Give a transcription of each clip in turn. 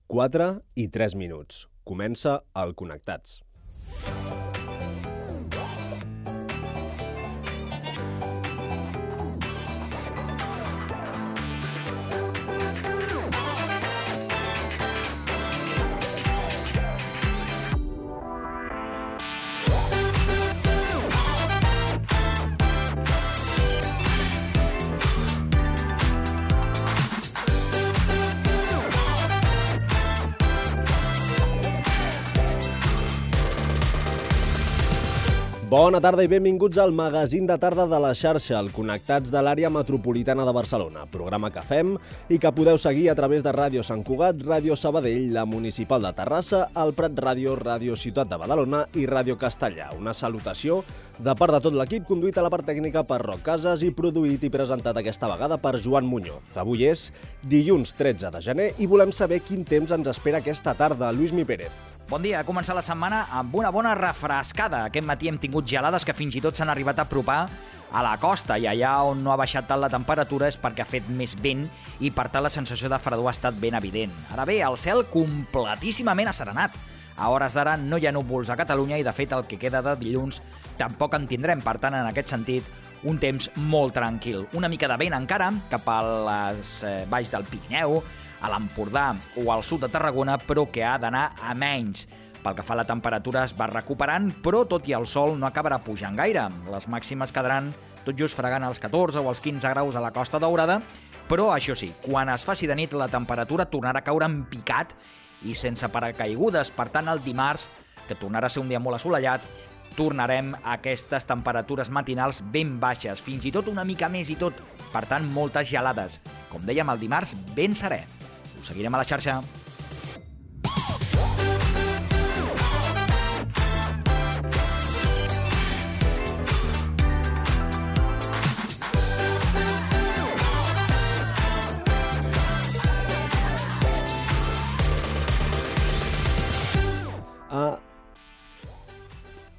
4:03. Comença el Connectats. Bona tarda i benvinguts al magazín de tarda de la xarxa, el Connectats de l'àrea metropolitana de Barcelona, programa que fem i que podeu seguir a través de Ràdio Sant Cugat, Ràdio Sabadell, la Municipal de Terrassa, el Prat Ràdio, Ràdio Ciutat de Badalona i Ràdio Castellà. Una salutació de part de tot l'equip, conduït a la part tècnica per Roc Casas i produït i presentat aquesta vegada per Joan Muñoz. Avui és dilluns 13 de gener i volem saber quin temps ens espera aquesta tarda. Lluís Mi Pérez. Bon dia, ha començat la setmana amb una bona refrescada. Aquest matí hem tingut gelades que fins i tot s'han arribat a apropar a la costa i allà on no ha baixat tant la temperatura és perquè ha fet més vent i per tant la sensació de fredor ha estat ben evident. Ara bé, el cel completíssimament asserenat. A hores d'ara no hi ha núvols a Catalunya i de fet el que queda de dilluns tampoc en tindrem. Per tant, en aquest sentit, un temps molt tranquil. Una mica de vent encara cap a les valls del Pirineu, a l'Empordà o al sud de Tarragona, però que ha d'anar a menys. Pel que fa a la temperatura es va recuperant, però tot i el sol no acabarà pujant gaire. Les màximes quedaran tot just fregant els 14 o els 15 graus a la Costa Daurada, però això sí, quan es faci de nit la temperatura tornarà a caure en picat i sense paracaigudes. Per tant, el dimarts, que tornarà a ser un dia molt assolellat, tornarem a aquestes temperatures matinals ben baixes, fins i tot una mica més i tot. Per tant, moltes gelades. Com dèiem, el dimarts ben serè. Ho seguirem a la xarxa.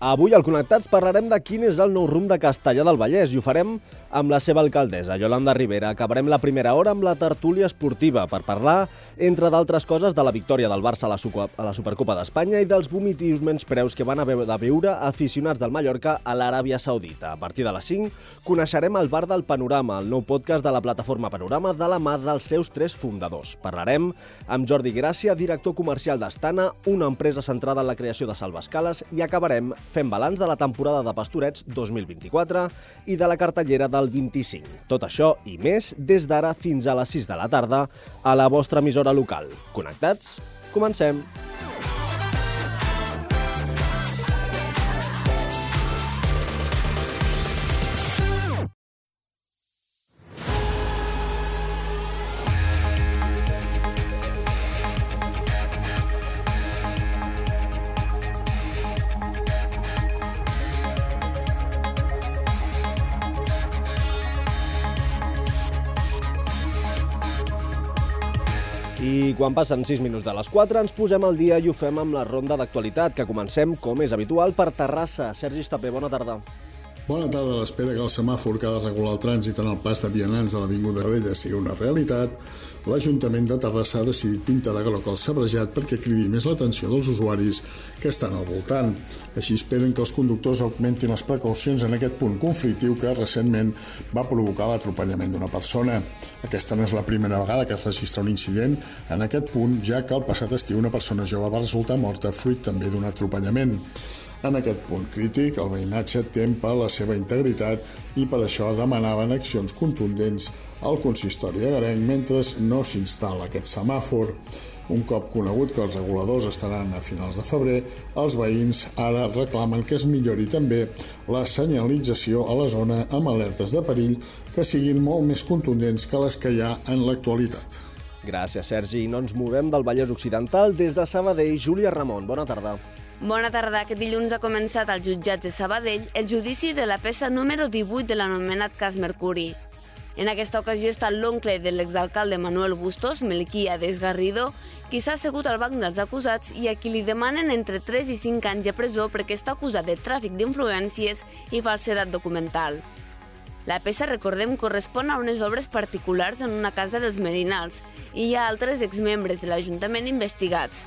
Avui al Connectats parlarem de quin és el nou rumb de Castellar del Vallès i ho farem amb la seva alcaldessa, Yolanda Rivera. Acabarem la primera hora amb la tertúlia esportiva per parlar, entre d'altres coses, de la victòria del Barça a la Supercopa d'Espanya i dels vomitius menyspreus que van haver de veure aficionats del Mallorca a l'Aràbia Saudita. A partir de les 5 coneixerem el Bar del Panorama, el nou podcast de la plataforma Panorama de la mà dels seus 3 fundadors. Parlarem amb Jordi Gràcia, director comercial d'Astana, una empresa centrada en la creació de salvaescales, i acabarem fent balanç de la temporada de Pastorets 2024 i de la cartellera del 25. Tot això i més des d'ara fins a les 6 de la tarda a la vostra emissora local. Connectats? Comencem! I quan passen 6 minuts de les 4 ens posem al dia i ho fem amb la ronda d'actualitat, que comencem, com és habitual, per Terrassa. Sergi Estapé, bona tarda. Bona tarda. A l'espera que el semàfor que ha de regular el trànsit en el pas de vianants de l'Avinguda Vella sigui una realitat, l'Ajuntament de Terrassa ha decidit pintar de groc el sabrejat perquè cridi més l'atenció dels usuaris que estan al voltant. Així esperen que els conductors augmentin les precaucions en aquest punt conflictiu que recentment va provocar l'atropellament d'una persona. Aquesta no és la primera vegada que es registra un incident en aquest punt, ja que el passat estiu una persona jove va resultar morta fruit també d'un atropellament. En aquest punt crític, el veïnatge tem per la seva integritat i per això demanaven accions contundents al consistori agarenc mentre no s'instal·la aquest semàfor. Un cop conegut que els reguladors estaran a finals de febrer, els veïns ara reclamen que es millori també la senyalització a la zona amb alertes de perill que siguin molt més contundents que les que hi ha en l'actualitat. Gràcies, Sergi. I no ens movem del Vallès Occidental. Des de Sabadell, Júlia Ramon. Bona tarda. Bona tarda. Aquest dilluns ha començat al jutjat de Sabadell el judici de la peça número 18 de l'anomenat cas Mercuri. En aquesta ocasió està l'oncle de l'exalcalde Manuel Bustos, Melquíades Garrido, qui s'ha assegut al banc dels acusats i a qui li demanen entre 3 i 5 anys de presó perquè està acusat de tràfic d'influències i falsedat documental. La peça, recordem, correspon a unes obres particulars en una casa dels Merinals i hi ha altres exmembres de l'Ajuntament investigats.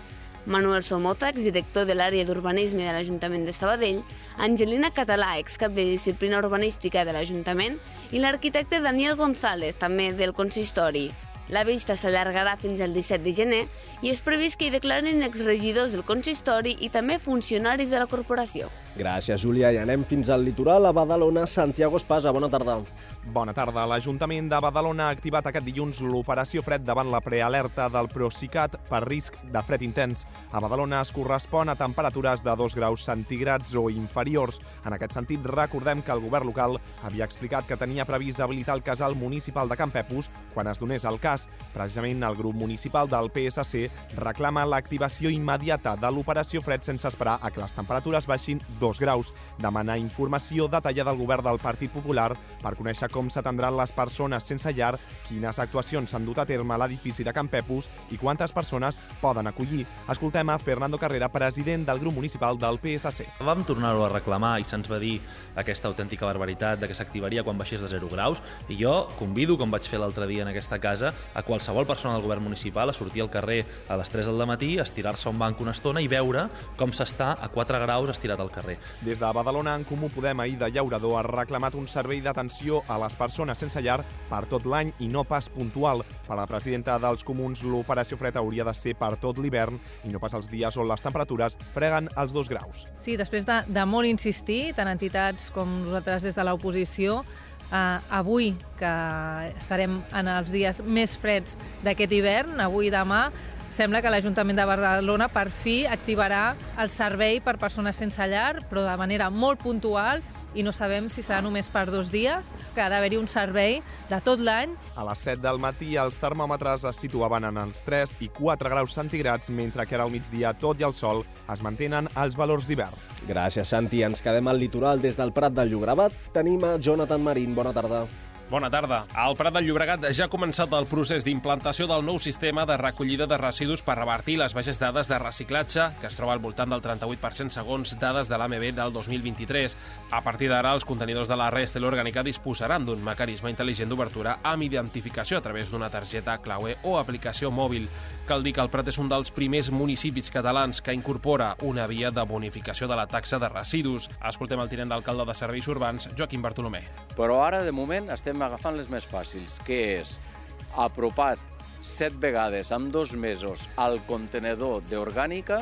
Manuel Somota, exdirector de l'àrea d'urbanisme de l'Ajuntament de Sabadell, Angelina Català, excap de disciplina urbanística de l'Ajuntament, i l'arquitecte Daniel González, també del consistori. La vista s'allargarà fins al 17 de gener i és previst que hi declarin exregidors del consistori i també funcionaris de la corporació. Gràcies, Júlia. I anem fins al litoral, a Badalona. Santiago Espasa, bona tarda. Bona tarda. L'Ajuntament de Badalona ha activat aquest dilluns l'operació fred davant la prealerta del Procicat per risc de fred intens. A Badalona es correspon a temperatures de 2 graus centígrads o inferiors. En aquest sentit, recordem que el govern local havia explicat que tenia previst habilitar el casal municipal de Campepus quan es donés el cas. Precisament el grup municipal del PSC reclama l'activació immediata de l'operació fred sense esperar a que les temperatures baixin 2 graus. Demana informació detallada al govern del Partit Popular per conèixer com s'atendran les persones sense llar, quines actuacions s'han dut a terme a l'edifici de Campepus i quantes persones poden acollir. Escoltem a Fernando Carrera, president del grup municipal del PSC. Vam tornar-ho a reclamar i se'ns va dir aquesta autèntica barbaritat de que s'activaria quan baixés de 0 graus i jo convido, com vaig fer l'altre dia en aquesta casa, a qualsevol persona del govern municipal a sortir al carrer a les 3 del matí, estirar-se a un banc una estona i veure com s'està a 4 graus estirat al carrer. Des de Badalona, en Comú Podem, ahir de Llaurador, ha reclamat un servei d'atenció a les persones sense llar per tot l'any i no pas puntual. Per la presidenta dels Comuns, l'operació fred hauria de ser per tot l'hivern i no pas els dies on les temperatures freguen els 2 graus. Sí, després de molt insistir, tant entitats com nosaltres des de l'oposició, avui, que estarem en els dies més freds d'aquest hivern, avui i demà, sembla que l'Ajuntament de Badalona per fi activarà el servei per persones sense llar, però de manera molt puntual, i no sabem si serà només per 2 dies, que ha d'haver-hi un servei de tot l'any. A les 7 del matí els termòmetres es situaven en els 3 i 4 graus centígrads, mentre que ara al migdia, tot i el sol, es mantenen els valors d'hivern. Gràcies, Santi. Ens quedem al litoral. Des del Prat del Llobregat tenim a Jonathan Marín. Bona tarda. Bona tarda. Al Prat del Llobregat ja ha començat el procés d'implantació del nou sistema de recollida de residus per revertir les baixes dades de reciclatge, que es troba al voltant del 38% segons dades de l'AMB del 2023. A partir d'ara, els contenidors de la Restel Orgànica disposaran d'un mecanisme intel·ligent d'obertura amb identificació a través d'una targeta claue o aplicació mòbil. Cal dir que el Prat és un dels primers municipis catalans que incorpora una via de bonificació de la taxa de residus. Escoltem el tinent d'alcalde de Serveis Urbans, Joaquim Bartolomé. Però ara, de moment, estem agafant les més fàcils, que és apropat 7 vegades en 2 mesos al contenedor d'orgànica,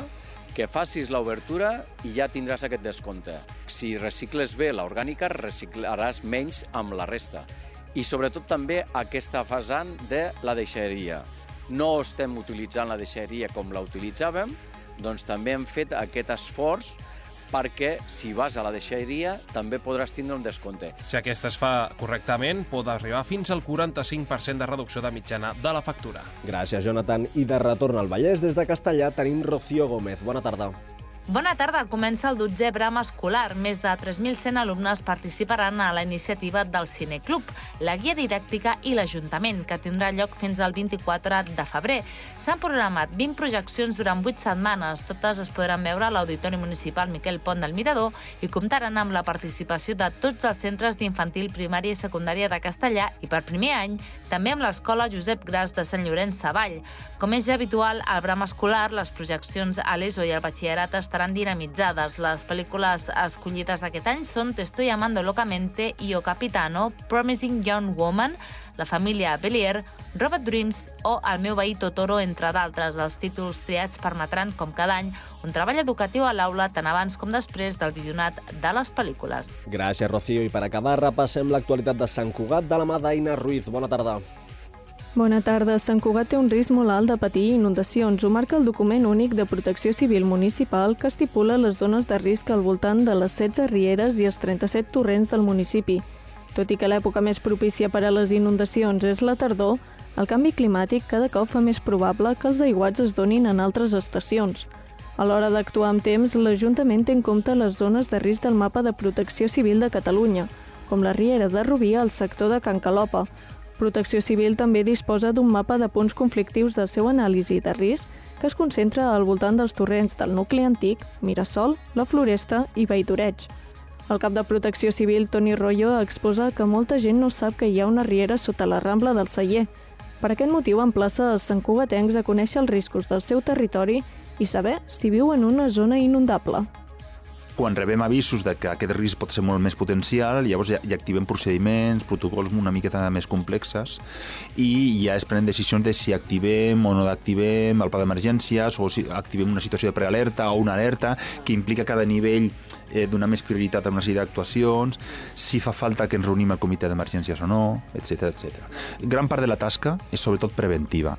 que facis l'obertura i ja tindràs aquest descompte. Si recicles bé l'orgànica, reciclaràs menys amb la resta. I sobretot també aquesta vessant de la deixalleria. No estem utilitzant la deixalleria com la utilitzàvem, doncs també hem fet aquest esforç perquè si vas a la deixalleria també podràs tindre un descompte. Si aquesta es fa correctament, pot arribar fins al 45% de reducció de mitjana de la factura. Gràcies, Jonathan. I de retorn al Vallès, des de Castellà, tenim Rocío Gómez. Bona tarda. Bona tarda. Comença el 12è Bram escolar. Més de 3.100 alumnes participaran a la iniciativa del Cineclub, la guia didàctica i l'Ajuntament, que tindrà lloc fins al 24 de febrer. S'han programat 20 projeccions durant 8 setmanes. Totes es podran veure a l'Auditori Municipal Miquel Pont del Mirador i comptaran amb la participació de tots els centres d'infantil, primària i secundària de Castellà i, per primer any, també amb l'Escola Josep Gras de Sant Llorenç Savall. Com és ja habitual, al Bram escolar, les projeccions a l'ESO i al batxillerat estaran dinamitzades. Les pel·lícules escollides aquest any són Te estoy amando locamente i O Capitano, Promising Young Woman, La família Belier, Robot Dreams o El meu veí Totoro, entre d'altres. Els títols triats permetran, com cada any, un treball educatiu a l'aula tant abans com després del visionat de les pel·lícules. Gràcies, Rocío. I per acabar, repassem l'actualitat de Sant Cugat de la mà d'Aina Ruiz. Bona tarda. Bona tarda. Sant Cugat té un risc molt alt de patir inundacions. Ho marca el document únic de protecció civil municipal que estipula les zones de risc al voltant de les 16 rieres i els 37 torrents del municipi. Tot i que l'època més propícia per a les inundacions és la tardor, el canvi climàtic cada cop fa més probable que els aiguats es donin en altres estacions. A l'hora d'actuar amb temps, l'Ajuntament té en compte les zones de risc del mapa de protecció civil de Catalunya, com la riera de Rubí al sector de Can Calopa. Protecció Civil també disposa d'un mapa de punts conflictius del seu anàlisi de risc que es concentra al voltant dels torrents del nucli antic, Mirasol, la Floresta i Valldoreig. El cap de Protecció Civil, Toni Royo, exposa que molta gent no sap que hi ha una riera sota la Rambla del Celler. Per aquest motiu emplaça els santcugatencs a conèixer els riscos del seu territori i saber si viu en una zona inundable. Quan rebem avisos de que aquest risc pot ser molt més potencial, llavors ja activem procediments, protocols una miqueta més complexes i ja es prenen decisions de si activem o no activem el pla d'emergències o si activem una situació de prealerta o una alerta que implica cada nivell donar més prioritat a una sèrie d'actuacions, si fa falta que ens reunim al comitè d'emergències o no, etc. Gran part de la tasca és sobretot preventiva.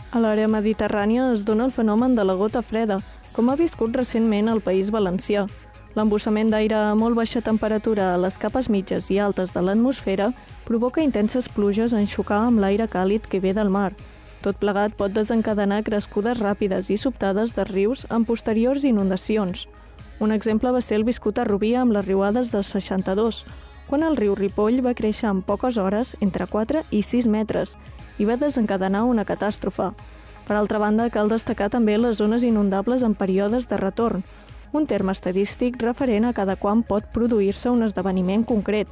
A l'àrea mediterrània es dona el fenomen de la gota freda, com ha viscut recentment al País Valencià. L'embussament d'aire a molt baixa temperatura a les capes mitges i altes de l'atmosfera provoca intenses pluges en xocar amb l'aire càlid que ve del mar. Tot plegat pot desencadenar crescudes ràpides i sobtades de rius en posteriors inundacions. Un exemple va ser el viscut a Rubí amb les riuades del 62, quan el riu Ripoll va créixer en poques hores entre 4 i 6 metres i va desencadenar una catàstrofe. Per altra banda, cal destacar també les zones inundables en períodes de retorn, un terme estadístic referent a cada quan pot produir-se un esdeveniment concret.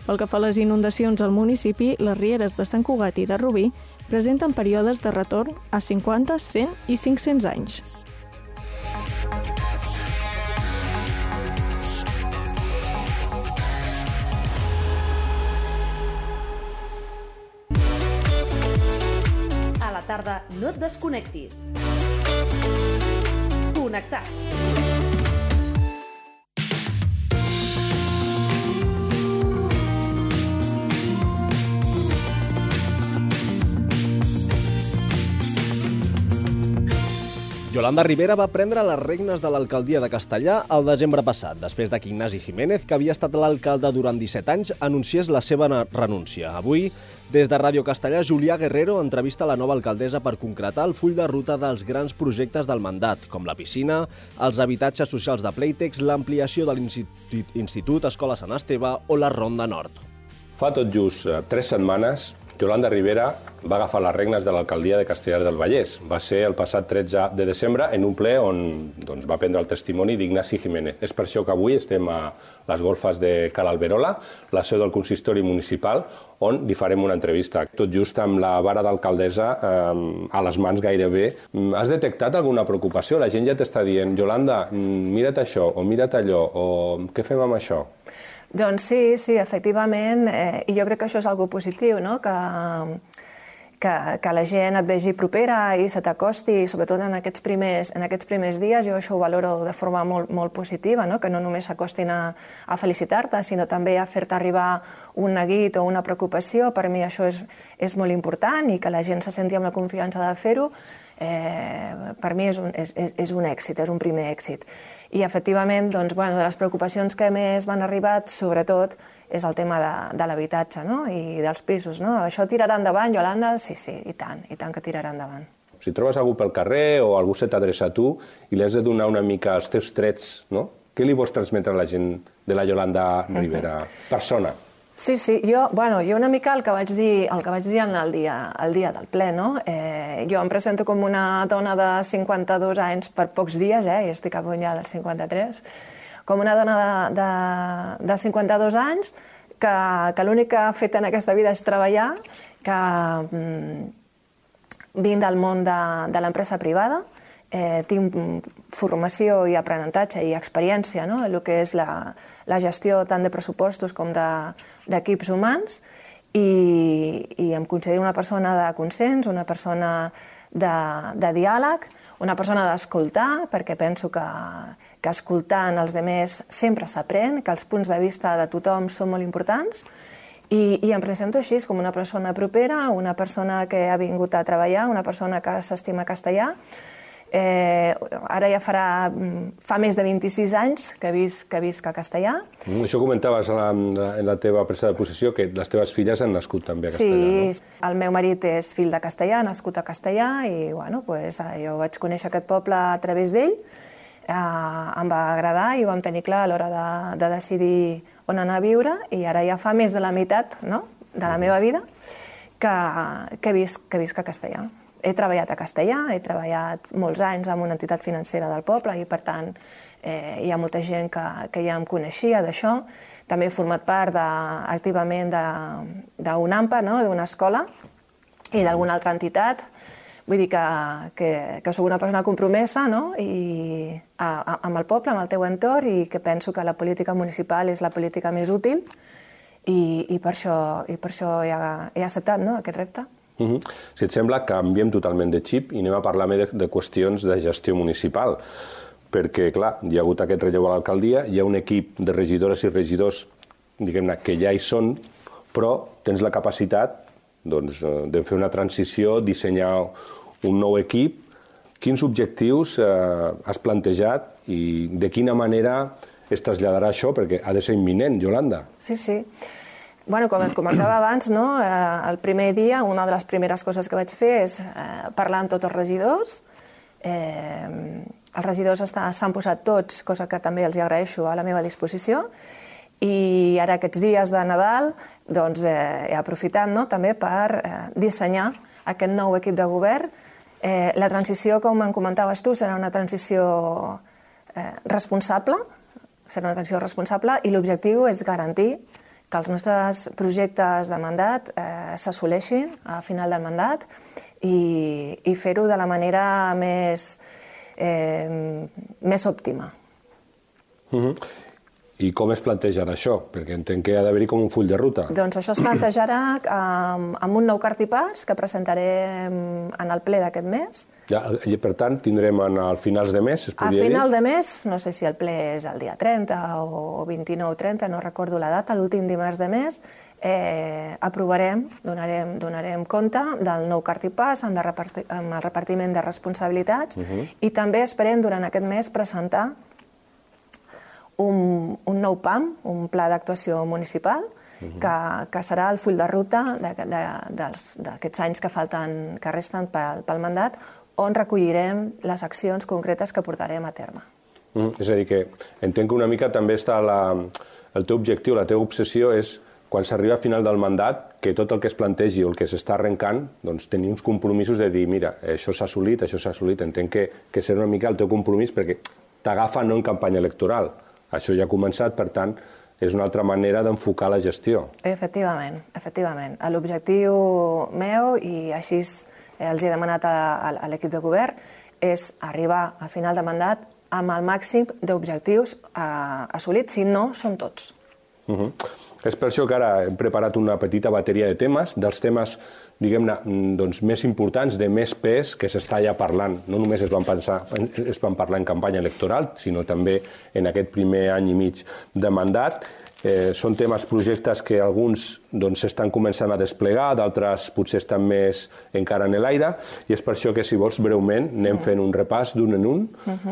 Pel que fa a les inundacions al municipi, les rieres de Sant Cugat i de Rubí presenten períodes de retorn a 50, 100 i 500 anys. A la tarda no et desconnectis. Connectat. Yolanda Rivera va prendre les regnes de l'alcaldia de Castellà el desembre passat, després que Ignasi Jiménez, que havia estat l'alcalde durant 17 anys, anunciés la seva renúncia. Avui, des de Ràdio Castellà, Julià Guerrero entrevista la nova alcaldessa per concretar el full de ruta dels grans projectes del mandat, com la piscina, els habitatges socials de Playtex, l'ampliació de l'Institut Escola Sant Esteve o la Ronda Nord. Fa tot just 3 setmanes, Yolanda Rivera va agafar les regnes de l'alcaldia de Castellar del Vallès. Va ser el passat 13 de desembre en un ple on va prendre el testimoni d'Ignasi Jiménez. És per això que avui estem a les golfes de Cal Alberola, la seu del consistori municipal, on li farem una entrevista. Tot just amb la vara d'alcaldessa a les mans gairebé. Has detectat alguna preocupació? La gent ja t'està dient, Yolanda, mira't això o mira't allò, o què fem amb això? Doncs sí, efectivament, i jo crec que això és algo positiu, no? Que la gent et vegi propera i se t'acosti, sobretot en aquests primers dies, jo això ho valoro de forma molt positiva, no? Que no només s'acostin a felicitar-te, sinó també a fer-te arribar un neguit o una preocupació. Per mi això és molt important i que la gent se senti amb la confiança de fer-ho, per mi és un èxit, és un primer èxit. I, efectivament, de les preocupacions que més m'han arribat, sobretot, és el tema de l'habitatge i dels pisos. Això tirarà endavant, Yolanda? Sí, i tant que tirarà endavant. Si trobes algú pel carrer o algú se t'adreça a tu i li has de donar una mica els teus trets, què li vols transmetre a la gent de la Yolanda Rivera, persona? Sí, jo una mica el que vaig dir el dia del ple, no? Jo em presento com una dona de 52 anys per pocs dies, i estic a punt ja dels 53, com una dona de 52 anys que l'únic que ha fet en aquesta vida és treballar, que vinc del món de l'empresa privada, tinc formació i aprenentatge i experiència en el que és la gestió tant de pressupostos com d'equips humans i em considero una persona de consens, una persona de diàleg, una persona d'escoltar, perquè penso que escoltant els altres sempre s'aprèn, que els punts de vista de tothom són molt importants i em presento així com una persona propera, una persona que ha vingut a treballar, una persona que s'estima castellà. Ara ja fa més de 26 anys que visc a Castellà. Això comentaves en la teva presa de possessió, que les teves filles han nascut també a Castellà. Sí, el meu marit és fill de Castellà, nascut a Castellà, i jo vaig conèixer aquest poble a través d'ell, em va agradar i ho vam tenir clar a l'hora de decidir on anar a viure, i ara ja fa més de la meitat de la meva vida que visc a Castellà. he treballat a Castellà, he treballat molts anys en una entitat financera del poble i, per tant, hi ha molta gent que ja em coneixia d'això. També he format part activament d'un AMPA, d'una escola i d'alguna altra entitat. Vull dir que soc una persona compromesa amb el poble, amb el teu entorn, i que penso que la política municipal és la política més útil i per això he acceptat aquest repte. Si et sembla, canviem totalment de xip i anem a parlar més de qüestions de gestió municipal. Perquè, clar, hi ha hagut aquest relleu a l'alcaldia, hi ha un equip de regidores i regidors, diguem-ne, que ja hi són, però tens la capacitat de fer una transició, dissenyar un nou equip. Quins objectius has plantejat i de quina manera es traslladarà això? Perquè ha de ser imminent, Yolanda. Sí. Bueno, com et comentava abans, el primer dia, una de les primeres coses que vaig fer és parlar amb tots els regidors. Els regidors s'han posat tots, cosa que també els agraeixo, a la meva disposició. I ara aquests dies de Nadal he aprofitat també per dissenyar aquest nou equip de govern. La transició, com em comentaves tu, serà una transició responsable, i l'objectiu és garantir que els nostres projectes de mandat s'assoleixin a final del mandat i fer-ho de la manera més òptima. I com es plantejarà això? Perquè entenc que ha d'haver-hi com un full de ruta. Doncs això es plantejarà amb un nou cartipàs que presentarem en el ple d'aquest mes. Per tant, tindrem a finals de mes, es podria dir? A final de mes, no sé si el ple és el dia 30 o 29 o 30, no recordo la data, l'últim dimarts de mes, aprovarem, donarem compte del nou cartipàs amb el repartiment de responsabilitats i també esperem durant aquest mes presentar un nou PAM, un pla d'actuació municipal, que serà el full de ruta d'aquests anys que resten pel mandat, on recollirem les accions concretes que portarem a terme. És a dir, que entenc que una mica també està el teu objectiu, la teva obsessió és, quan s'arriba a final del mandat, que tot el que es plantegi o el que s'està arrencant, doncs tenir uns compromisos de dir, mira, això s'ha assolit, això s'ha assolit. Entenc que serà una mica el teu compromís perquè t'agafa no en campanya electoral. Això ja ha començat, per tant, és una altra manera d'enfocar la gestió. Efectivament. L'objectiu meu, i així els he demanat a l'equip de govern, és arribar a final de mandat amb el màxim d'objectius assolits, si no són tots. És per això que ara hem preparat una petita bateria de temes, dels temes, diguem-ne, més importants, de més pes, que s'està ja parlant. No només es van parlar en campanya electoral, sinó també en aquest primer any i mig de mandat. Són temes, projectes que alguns s'estan començant a desplegar, d'altres potser estan més encara en l'aire, i és per això que, si vols, breument, anem fent un repàs d'un en un.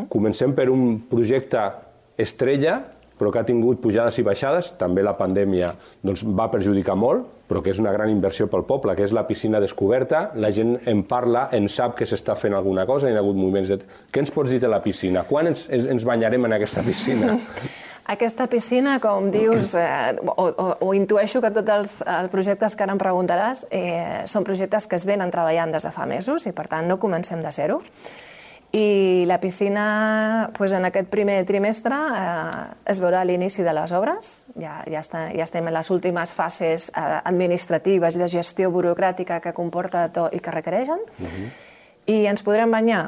Comencem per un projecte estrella, però que ha tingut pujades i baixades. També la pandèmia va perjudicar molt, però que és una gran inversió pel poble, que és la piscina descoberta. La gent en parla, en sap que s'està fent alguna cosa, hi ha hagut moviments de... Què ens pots dir de la piscina? Quan ens banyarem en aquesta piscina? Aquesta piscina, com dius, o intueixo que tots els projectes que ara em preguntaràs són projectes que es venen treballant des de fa mesos i, per tant, no comencem de zero. I la piscina, en aquest primer trimestre, es veurà l'inici de les obres. Ja estem en les últimes fases administratives i de gestió burocràtica que comporta tot i que requereixen. I ens podrem banyar.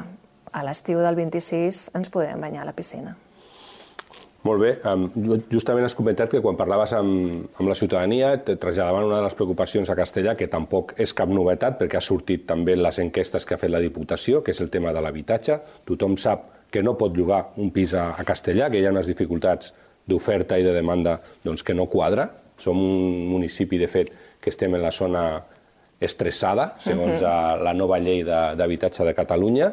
A l'estiu del 26 ens podrem banyar a la piscina. Molt bé. Justament has comentat que quan parlaves amb la ciutadania et traslladaven una de les preocupacions a Castellà, que tampoc és cap novetat, perquè ha sortit també en les enquestes que ha fet la Diputació, que és el tema de l'habitatge. Tothom sap que no pot llogar un pis a Castellà, que hi ha unes dificultats d'oferta i de demanda que no quadra. Som un municipi, de fet, que estem en la zona estressada, segons la nova llei d'habitatge de Catalunya.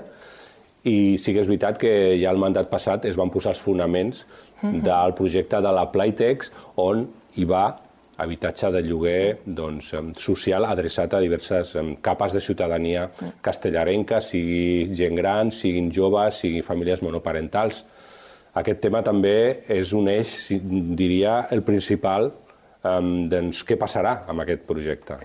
I sí que és veritat que ja el mandat passat es van posar els fonaments del projecte de la Playtex, on hi va habitatge de lloguer social adreçat a diverses capes de ciutadania castellarenca, sigui gent gran, siguin joves, siguin famílies monoparentals. Aquest tema també és un eix, diria, el principal. Què passarà amb aquest projecte?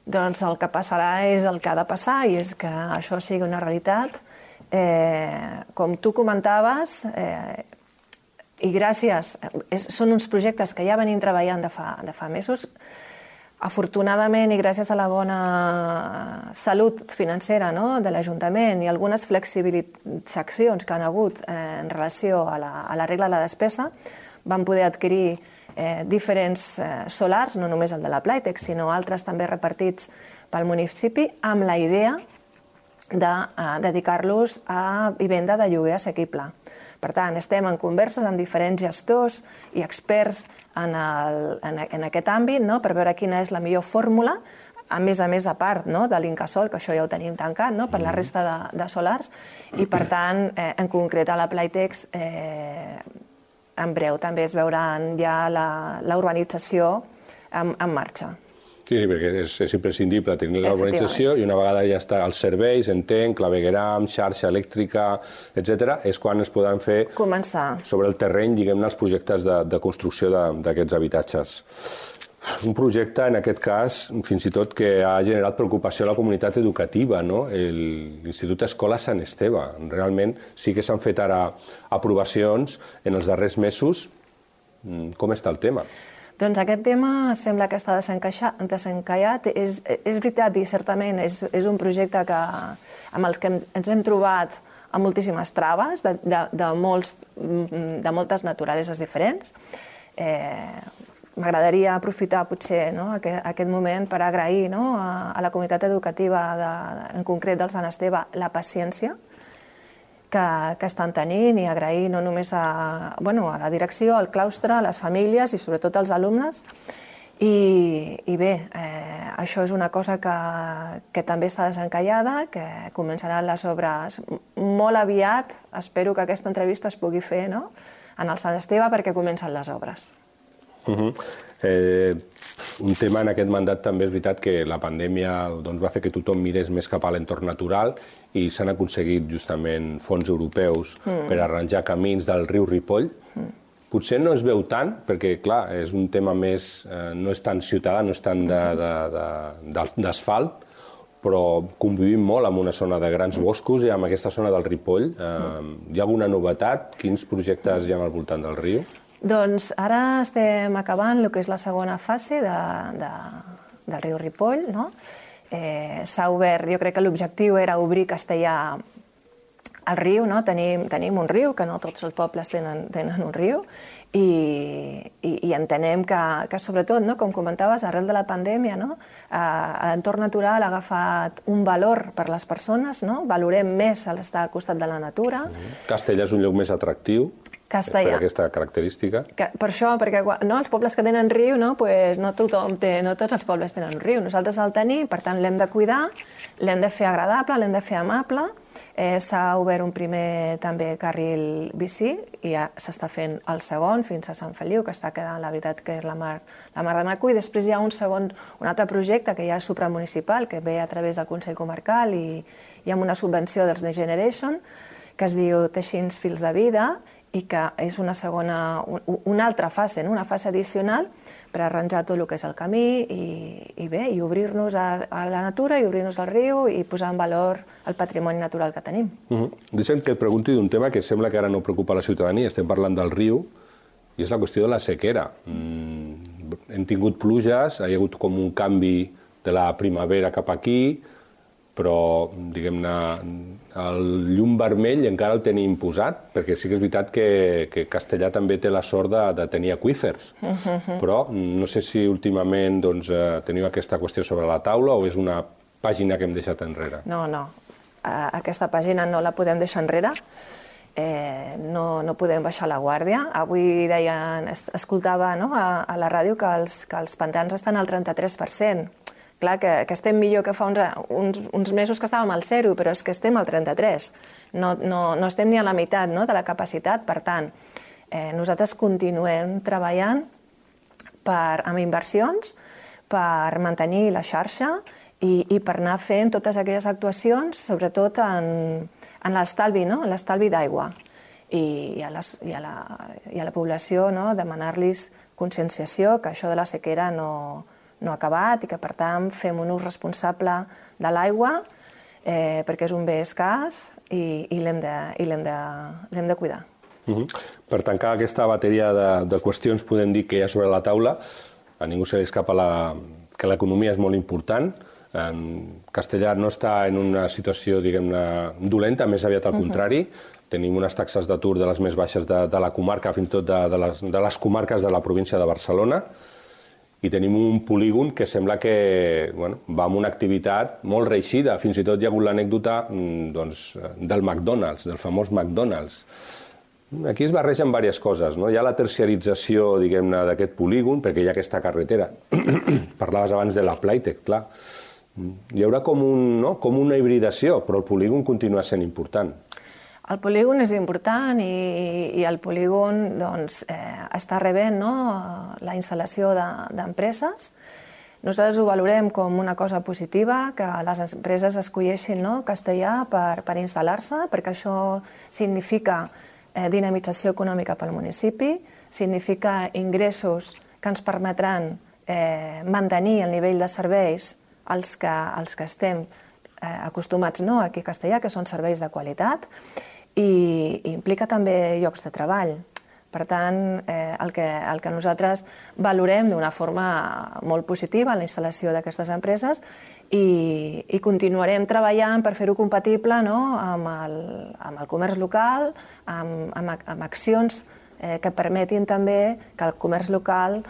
Doncs el que passarà és el que ha de passar i és que això sigui una realitat. Com tu comentaves, i gràcies, són uns projectes que ja venim treballant de fa mesos. Afortunadament i gràcies a la bona salut financera de l'Ajuntament i algunes flexibilitzacions que han hagut en relació a la regla de la despesa, vam poder adquirir diferents solars, no només el de la Playtech, sinó altres també repartits pel municipi, amb la idea de dedicar-los a vivenda de lloguer assequible. Per tant, estem en converses amb diferents gestors i experts en aquest àmbit per veure quina és la millor fórmula, a més a part de l'Incasòl, que això ja ho tenim tancat per la resta de solars, i per tant, en concret a la Playtech, en breu també es veuran ja la urbanització en marxa. Sí, perquè és imprescindible tenir la urbanització i una vegada ja està els serveis, entenc, clavegueram, xarxa elèctrica, etc., és quan es poden fer sobre el terreny, diguem-ne, els projectes de construcció d'aquests habitatges. Un projecte, en aquest cas, fins i tot que ha generat preocupació a la comunitat educativa, l'Institut Escola Sant Esteve. Realment sí que s'han fet ara aprovacions en els darrers mesos. Com està el tema? Doncs aquest tema sembla que està desencallat. És veritat i certament és un projecte amb el que ens hem trobat amb moltíssimes traves de moltes naturaleses diferents. M'agradaria aprofitar potser aquest moment per agrair a la comunitat educativa, en concret del Sant Esteve, la paciència que estan tenint i agrair no només a la direcció, al claustre, a les famílies i sobretot als alumnes. I bé, això és una cosa que també està desencallada, que començaran les obres molt aviat. Espero que aquesta entrevista es pugui fer en el Sant Esteve perquè comencen les obres. Un tema en aquest mandat també és veritat que la pandèmia va fer que tothom mirés més cap a l'entorn natural i s'han aconseguit justament fons europeus per arranjar camins del riu Ripoll. Potser no es veu tant, perquè clar, és un tema més, no és tan ciutadà, no és tant d'asfalt, però convivim molt amb una zona de grans boscos i amb aquesta zona del Ripoll. Hi ha alguna novetat? Quins projectes hi ha al voltant del riu? Doncs ara estem acabant el que és la segona fase del riu Ripoll. S'ha obert, jo crec que l'objectiu era obrir Castellar al riu. Tenim un riu, que no tots els pobles tenen un riu, i entenem que sobretot, com comentaves, arrel de la pandèmia, l'entorn natural ha agafat un valor per les persones, valorem més l'estar al costat de la natura. Castellar és un lloc més atractiu. Per aquesta característica. Per això, perquè els pobles que tenen riu, no tots els pobles tenen un riu. Nosaltres el tenim, per tant l'hem de cuidar, l'hem de fer agradable, l'hem de fer amable. S'ha obert un primer també carril bici i ja s'està fent el segon fins a Sant Feliu, que està quedant, la veritat, que és la mar de maco. I després hi ha un altre projecte que ja és supramunicipal, que ve a través del Consell Comarcal i amb una subvenció dels Next Generation, que es diu Teixint Fils de Vida, i que és una altra fase, una fase addicional per arranjar tot el que és el camí i obrir-nos a la natura i obrir-nos al riu i posar en valor el patrimoni natural que tenim. Deixa'm que et pregunti d'un tema que sembla que ara no preocupa la ciutadania. Estem parlant del riu i és la qüestió de la sequera. Hem tingut pluges, hi ha hagut com un canvi de la primavera cap aquí, però, diguem-ne, el llum vermell encara el tenim posat, perquè sí que és veritat que Castellar també té la sort de tenir aqüífers. Però no sé si últimament teniu aquesta qüestió sobre la taula o és una pàgina que hem deixat enrere. No. Aquesta pàgina no la podem deixar enrere. No podem baixar la guàrdia. Avui escoltava a la ràdio que els pantans estan al 33%. Clar, que estem millor que fa uns mesos que estàvem al 0, però és que estem al 33. No estem ni a la meitat de la capacitat. Per tant, nosaltres continuem treballant amb inversions per mantenir la xarxa i per anar fent totes aquelles actuacions, sobretot en l'estalvi d'aigua. I a la població demanar-los conscienciació, que això de la sequera no no acabat i que, per tant, fem un ús responsable de l'aigua perquè és un bé escàs i l'hem de cuidar. Per tancar aquesta bateria de qüestions, podem dir que hi ha sobre la taula, a ningú se li escapa que l'economia és molt important. Castellar no està en una situació, diguem-ne, dolenta, més aviat al contrari. Tenim unes taxes d'atur de les més baixes de la comarca, fins i tot de les comarques de la província de Barcelona, i tenim un polígon que sembla que va amb una activitat molt reeixida. Fins i tot hi ha hagut l'anècdota del McDonald's, del famós McDonald's. Aquí es barregen diverses coses. Hi ha la terciarització, diguem-ne, d'aquest polígon, perquè hi ha aquesta carretera. Parlaves abans de la Playtech, clar. Hi haurà com una hibridació, però el polígon continua sent important. El polígon és important i el polígon està rebent la instal·lació d'empreses. Nosaltres ho valorem com una cosa positiva, que les empreses escolleixin Castellar per instal·lar-se, perquè això significa dinamització econòmica pel municipi, significa ingressos que ens permetran mantenir el nivell de serveis als que estem acostumats aquí a Castellar, que són serveis de qualitat, i implica també llocs de treball. Per tant, el que nosaltres valorem d'una forma molt positiva la instal·lació d'aquestes empreses i continuarem treballant per fer-ho compatible amb el comerç local, amb accions que permetin també que el comerç local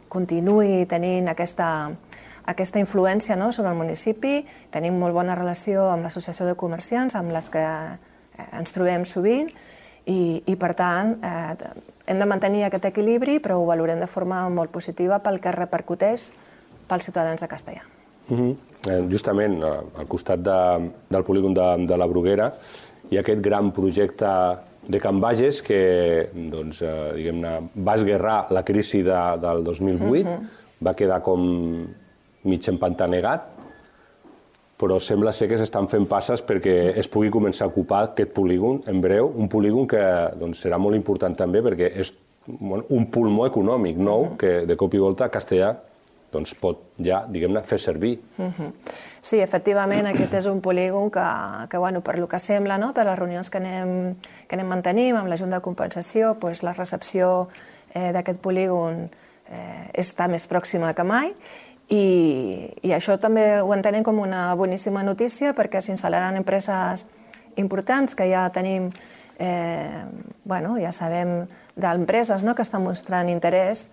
continuï tenint aquesta influència sobre el municipi. Tenim molt bona relació amb l'Associació de Comerciants, amb les que ens trobem sovint, i per tant hem de mantenir aquest equilibri, però ho valorem de forma molt positiva pel que repercuteix pels ciutadans de Castellar. Justament al costat del polígon de la Bruguera hi ha aquest gran projecte de Can Bages que va esguerrar la crisi del 2008, va quedar com mig empantanegat, però sembla ser que s'estan fent passes perquè es pugui començar a ocupar aquest polígon en breu, un polígon que serà molt important també perquè és un pulmó econòmic nou que de cop i volta Castellar pot ja, diguem-ne, fer servir. Sí, efectivament, aquest és un polígon que per lo que sembla, per les reunions que anem mantenint amb la Junta de Compensació, la recepció d'aquest polígon està més pròxima que mai, i això també ho entenem com una boníssima notícia perquè s'instal·laran empreses importants que ja tenim, ja sabem d'empreses que estan mostrant interès,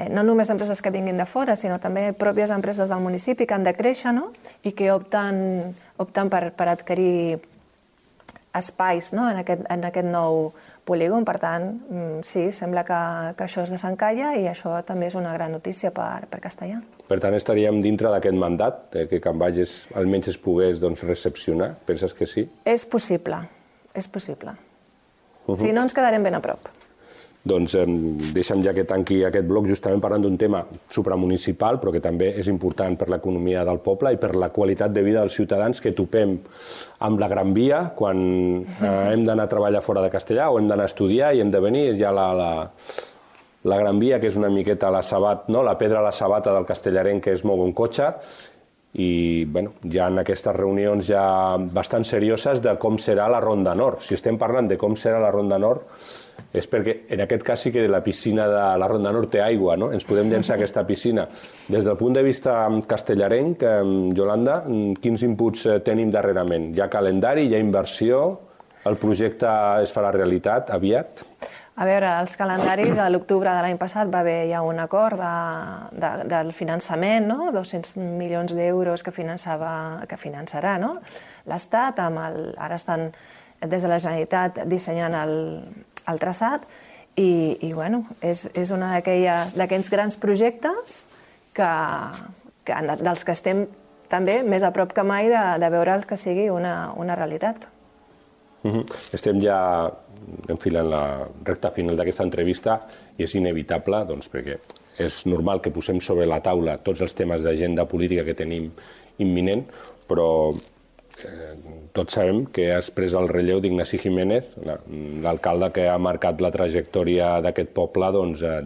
no només empreses que vinguin de fora, sinó també pròpies empreses del municipi que han de créixer i que opten per adquirir espais en aquest nou polígon. Per tant, sí, sembla que això es desencalla i això també és una gran notícia per Castellar. Per tant, estaríem dintre d'aquest mandat, que Can Bages almenys es pogués recepcionar? Penses que sí? És possible, és possible. Si no, ens quedarem ben a prop. Doncs deixa'm ja que tanqui aquest bloc justament parlant d'un tema supramunicipal, però que també és important per l'economia del poble i per la qualitat de vida dels ciutadans que topem amb la Gran Via quan hem d'anar a treballar fora de Castellar o hem d'anar a estudiar i hem de venir. És ja la Gran Via, que és una miqueta la pedra a la sabata del castellarenc que es mou en cotxe, i hi ha aquestes reunions ja bastant serioses de com serà la Ronda Nord. Si estem parlant de com serà la Ronda Nord és perquè en aquest cas sí que la piscina de la Ronda Nord té aigua, no? Ens podem llençar a aquesta piscina. Des del punt de vista castellarenc, Yolanda, quins inputs tenim darrerament? Hi ha calendari, hi ha inversió, el projecte es farà realitat aviat? A veure, els calendaris, a l'octubre de l'any passat va haver ja un acord del finançament, 200 milions d'euros que finançarà l'Estat. Ara estan des de la Generalitat dissenyant el traçat i és un d'aquells grans projectes dels que estem també més a prop que mai de veure que sigui una realitat. Estem ja enfilant la recta final d'aquesta entrevista i és inevitable perquè és normal que posem sobre la taula tots els temes d'agenda política que tenim imminent, però tots sabem que has pres el relleu d'Ignasi Jiménez, l'alcalde que ha marcat la trajectòria d'aquest poble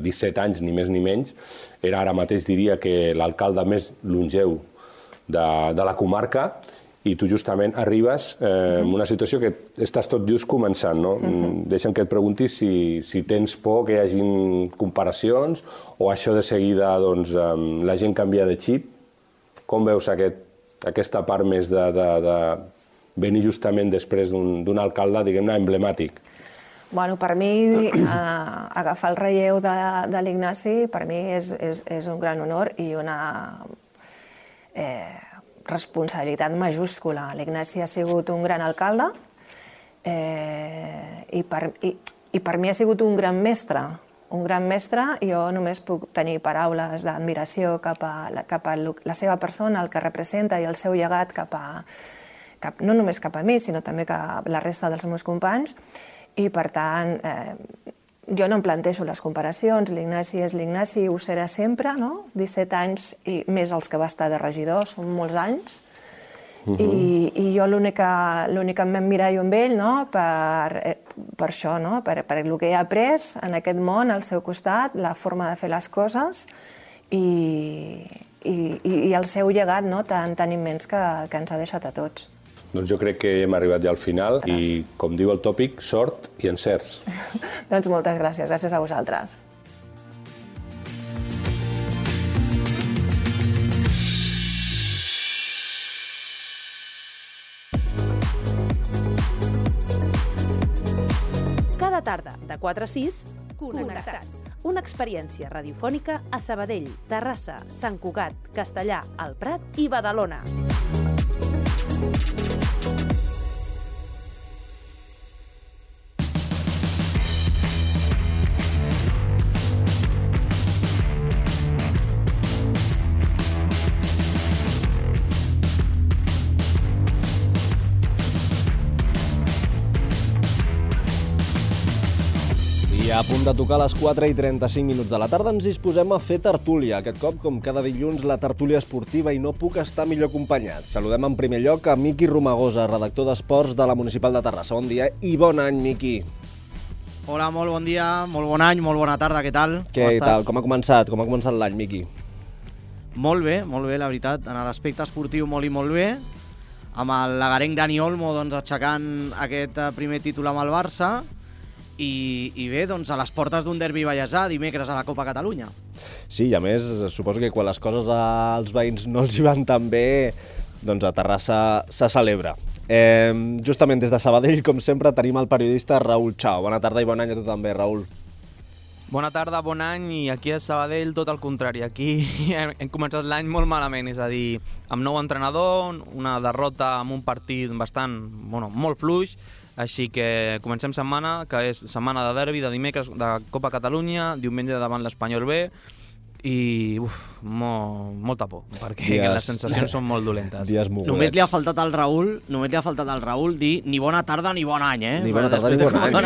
17 anys, ni més ni menys. Era ara mateix, diria, que l'alcalde més longeu de la comarca, i tu justament arribes en una situació que estàs tot just començant, no? Deixa'm que et pregunti si tens por que hi hagin comparacions o això de seguida la gent canvia de xip. Com veus aquesta part més de venir justament després d'un alcalde, diguem-ne, emblemàtic? Bueno, per mi, agafar el relleu de l'Ignasi, per mi és un gran honor i una responsabilitat majúscula. L'Ignasi ha sigut un gran alcalde i per mi ha sigut un gran mestre. Un gran mestre, jo només puc tenir paraules d'admiració cap a la seva persona, el que representa i el seu llegat no només cap a mi, sinó també cap a la resta dels meus companys. I, per tant, jo no em plantejo les comparacions. L'Ignasi és l'Ignasi, ho serà sempre, no? 17 anys i més els que va estar de regidor, són molts anys. I jo l'únic que m'emmirallo amb ell, per això, per el que he après en aquest món, al seu costat, la forma de fer les coses i el seu llegat tan immens que ens ha deixat a tots. Doncs jo crec que hem arribat ja al final i, com diu el tòpic, sort i encerts. Doncs moltes gràcies, gràcies a vosaltres. Cada tarda, de 4 a 6, Connectats. Una experiència radiofònica a Sabadell, Terrassa, Sant Cugat, Castellar, el Prat i Badalona. A punt de tocar les 4:35 de la tarda ens disposem a fer tertúlia. Aquest cop, com cada dilluns, la tertúlia esportiva i no puc estar millor acompanyat. Saludem en primer lloc a Miqui Romagosa, redactor d'Esports de la Municipal de Terrassa. Bon dia i bon any, Miqui. Hola, molt bon dia, molt bon any, molt bona tarda, què tal? Què tal? Com ha començat l'any, Miqui? Molt bé, la veritat. En l'aspecte esportiu molt i molt bé. Amb el lagarenc Dani Olmo aixecant aquest primer títol amb el Barça. I bé, doncs a les portes d'un derbi vallesà dimecres a la Copa Catalunya. Sí, i a més, suposo que quan les coses als veïns no els hi van tan bé, doncs a Terrassa se celebra. Justament des de Sabadell, com sempre, tenim el periodista Raül Chao. Bona tarda i bon any a tu també, Raül. Bona tarda, bon any, i aquí a Sabadell tot el contrari. Aquí hem començat l'any molt malament, és a dir, amb nou entrenador, una derrota amb un partit molt fluix. Així que comencem setmana, que és setmana de derbi, de dimecres de Copa Catalunya, diumenge davant l'Espanyol B, i molta por, perquè les sensacions són molt dolentes. Dies mogudets. Només li ha faltat al Raül dir ni bona tarda ni bon any, Ni bona tarda ni bon any. Ni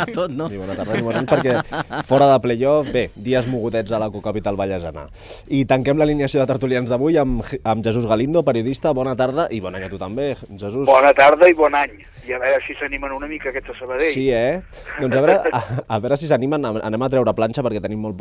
bona tarda ni bon any, perquè fora de playoff, bé, dies mogudets a la cocapital vallesana. I tanquem l'alineació de tertulians d'avui amb Jesús Galindo, periodista. Bona tarda i bon any a tu també, Jesús. Bona tarda i bon any. I a veure si s'animen una mica aquests a Sabadell. Sí, Doncs a veure si s'animen. Anem a treure planxa perquè tenim molt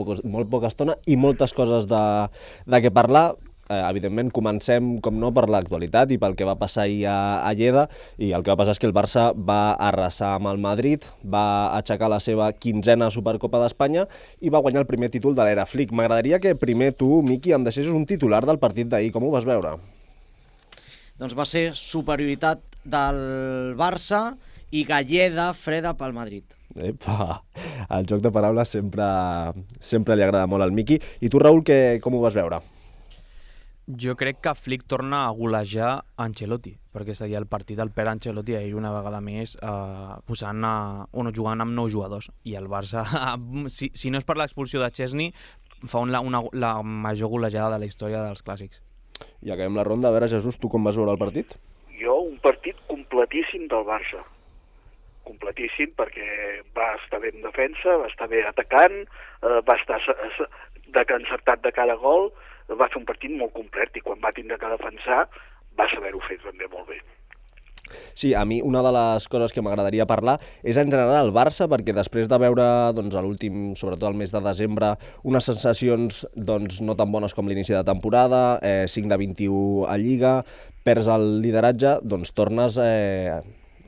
poca estona i moltes coses de què parlar. Evidentment, comencem, com no, per l'actualitat i pel que va passar ahir a Lleida. I el que va passar és que el Barça va arrasar amb el Madrid, va aixecar la seva 15a Supercopa d'Espanya i va guanyar el primer títol de l'era Flick. M'agradaria que primer tu, Miqui, em deixessis un titular del partit d'ahir. Com ho vas veure? Doncs va ser superioritat del Barça i galleda freda pel Madrid. Epa, el joc de paraules sempre li agrada molt al Miqui. I tu, Raül, com ho vas veure? Jo crec que Flick torna a golejar Ancelotti, perquè seria el partit del Pere Ancelotti ahir una vegada més jugant amb 9 jugadors. I el Barça, si no és per l'expulsió de Chesney, fa la major golejada de la història dels clàssics. I acabem la ronda. A veure, Jesús, tu com vas veure el partit? Jo, un partit completíssim del Barça. Completíssim perquè va estar bé en defensa, va estar bé atacant, va estar encertat de cara a gol, va fer un partit molt complet i quan va tindre que defensar va saber-ho fer també molt bé. Sí, a mi una de les coses que m'agradaria parlar és en general el Barça, perquè després de veure doncs, a l'últim, sobretot el mes de desembre, unes sensacions doncs, no tan bones com l'inici de temporada, 5 de 21 a Lliga, perds el lideratge, doncs tornes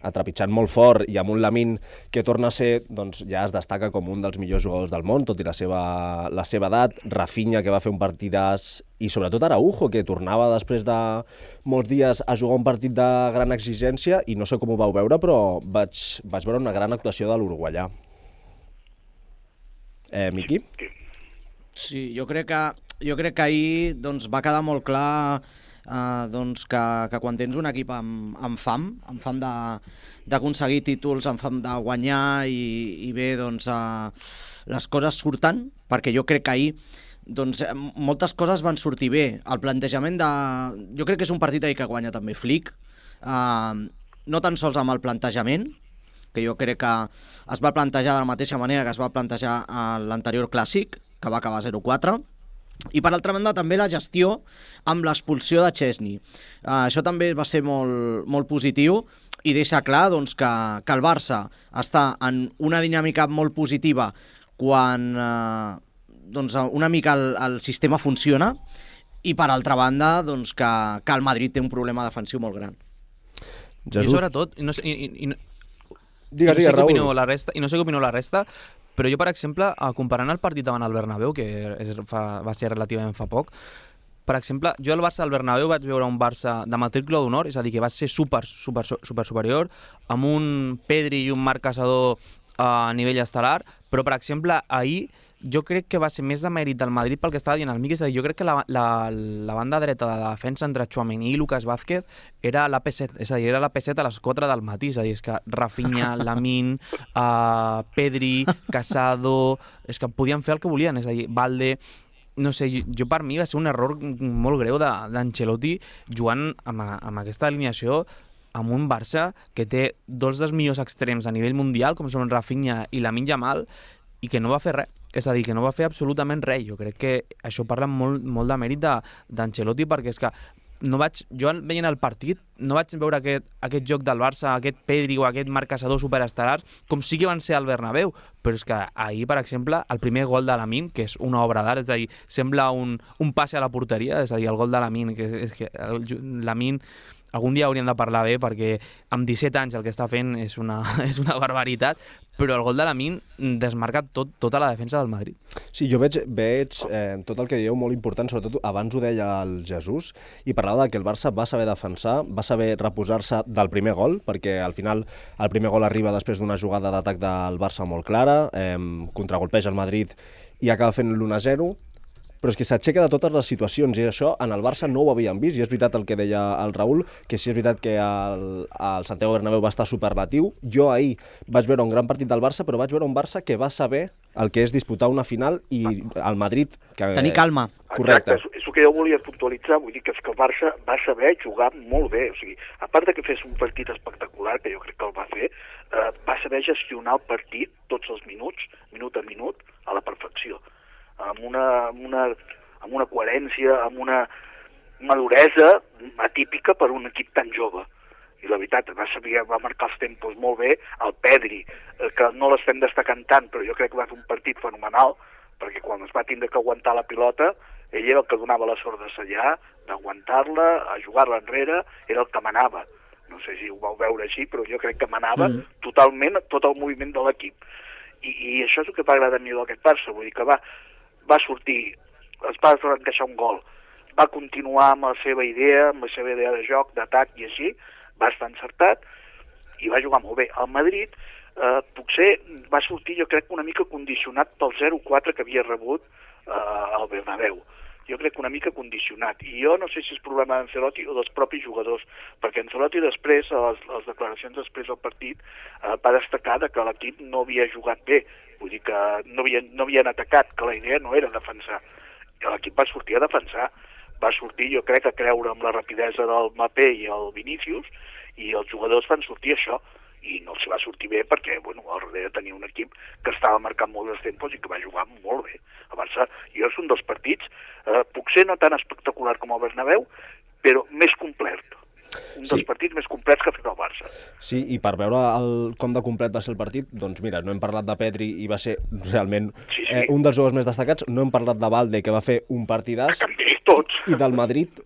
atrepitjant molt fort i amb un Lamine que torna a ser, doncs ja es destaca com un dels millors jugadors del món, tot i la seva edat, Rafinha, que va fer un partidàs, i sobretot Araujo, que tornava després de molts dies a jugar un partit de gran exigència, i no sé com ho vau veure, però vaig veure una gran actuació de l'uruguaià. Miqui? Sí, jo crec que ahir doncs, va quedar molt clar doncs que quan tens un equip amb fam d'aconseguir títols, amb fam de guanyar i bé, doncs les coses surten, perquè jo crec que ahir doncs, moltes coses van sortir bé. El plantejament jo crec que és un partit ahir que guanya també Flick, no tan sols amb el plantejament, que jo crec que es va plantejar de la mateixa manera que es va plantejar a l'anterior clàssic, que va acabar 0-4, i per altra banda també la gestió amb l'expulsió de Chesney. Això també va ser molt positiu i deixa clar doncs, que el Barça està en una dinàmica molt positiva quan doncs, una mica el sistema funciona, i per altra banda doncs, que el Madrid té un problema defensiu molt gran. I sobretot, no sé què opineu la resta, però jo, per exemple, comparant el partit davant el Bernabéu, que va ser relativament fa poc, per exemple, jo al Barça al Bernabéu vaig veure un Barça de matrícula d'honor, és a dir, que va ser super superior, amb un Pedri i un Marc Casador a nivell estel·lar, però, per exemple, ahir jo crec que va ser més de mèrit del Madrid pel que estava dient el Miqui, és a dir, jo crec que la banda dreta de la defensa entre Tchouaméni i Lucas Vázquez era l'AP7, és a dir, era l'AP7 a les 4 del matí, és a dir, és que Rafinha, Lamine, Pedri, Casado, és que podien fer el que volien, és a dir, Valde, no sé, jo per mi va ser un error molt greu d'Ancelotti jugant amb aquesta alineació amb un Barça que té dos dels millors extrems a nivell mundial, com són Rafinha i Lamine Yamal, i que no va fer res. És a dir, que no va fer absolutament res. Jo crec que això parla molt de mèrit d'Ancelotti, perquè és que jo veient el partit no vaig veure aquest joc del Barça, aquest Pedri o aquest Marc Casador superestel·lars, com sí que van ser al Bernabéu, però és que ahir, per exemple, el primer gol de Lamine, que és una obra d'art, és a dir, sembla un passe a la porteria, és a dir, el gol de Lamine, és que Lamine algun dia hauríem de parlar bé, perquè amb 17 anys el que està fent és una barbaritat, però el gol de Lamine desmarca tota la defensa del Madrid. Sí, jo veig tot el que dieu molt important, sobretot abans ho deia el Jesús, i parlava que el Barça va saber defensar, va saber reposar-se del primer gol, perquè al final el primer gol arriba després d'una jugada d'atac del Barça molt clara, contragolpeja el Madrid i acaba fent l'1-0, però és que s'aixeca de totes les situacions, i això en el Barça no ho havíem vist, i és veritat el que deia el Raül, que sí és veritat que el Santiago Bernabéu va estar superlatiu. Jo ahir vaig veure un gran partit del Barça, però vaig veure un Barça que va saber el que és disputar una final, i el Madrid... Tenir calma. Correcte. Exacte, és el que jo volia puntualitzar, vull dir que el Barça va saber jugar molt bé, o sigui, a part de que fes un partit espectacular, que jo crec que el va fer, va saber gestionar el partit tots els minuts, minut a minut, a la perfecció, amb una coherència, amb una maduresa atípica per un equip tan jove. I la veritat, va marcar els tempos molt bé. El Pedri, que no l'estem destacant tant, però jo crec que va fer un partit fenomenal, perquè quan es va tindre que aguantar la pilota, ell era el que donava la sort de sellar, d'aguantar-la, a jugar-la enrere, era el que manava. No sé si ho vau veure així, però jo crec que manava totalment tot el moviment de l'equip. I això és el que va agradar a mi d'aquest Barça, vull dir que va sortir, es va encaixar un gol, va continuar amb la seva idea de joc, d'atac i així, va estar encertat i va jugar molt bé. El Madrid potser va sortir, jo crec, una mica condicionat pel 0-4 que havia rebut al Bernabéu. Jo crec que una mica condicionat. I jo no sé si és problema d'Ancelotti o dels propis jugadors, perquè Ancelotti després, a les declaracions després del partit, va destacar que l'equip no havia jugat bé, vull dir que no havien atacat, que la idea no era defensar. I l'equip va sortir a defensar, va sortir, jo crec, a creure amb la rapidesa del Mbappé i el Vinícius, i els jugadors van sortir això, i no els va sortir bé perquè, al darrere tenia un equip que estava marcant molt els tempos i que va jugar molt bé. El Barça, jo és un dels partits, potser no tan espectacular com el Bernabéu, però més complet. Un dels partits més complets que ha fet el Barça. Sí, i per veure com de complet va ser el partit, doncs mira, no hem parlat de Pedri i va ser realment un dels jugadors més destacats, no hem parlat de Valde, que va fer un partidàs. També, tots. I del Madrid,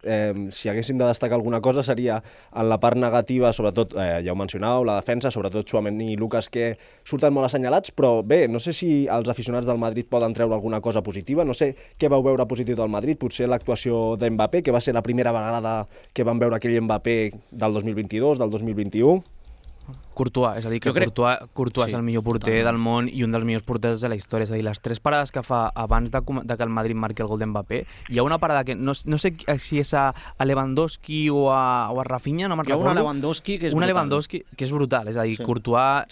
si haguéssim de destacar alguna cosa, seria en la part negativa, sobretot, ja ho mencionàveu, la defensa, sobretot Tchouaméni i Lucas, que surten molt assenyalats, però bé, no sé si els aficionats del Madrid poden treure alguna cosa positiva, no sé què vau veure positiu del Madrid, potser l'actuació d'Mbappé, que va ser la primera vegada que vam veure aquell Mbappé del 2022, del 2021. Courtois, és a dir, que Courtois és el millor porter del món i un dels millors porters de la història. És a dir, les 3 parades que fa abans de que el Madrid marqui el gol d'Mbappé, hi ha una parada que no sé si és a Lewandowski o a Rafinha, no me'n recordo. Hi ha una Lewandowski que és brutal. Una Lewandowski que és brutal, és a dir, Courtois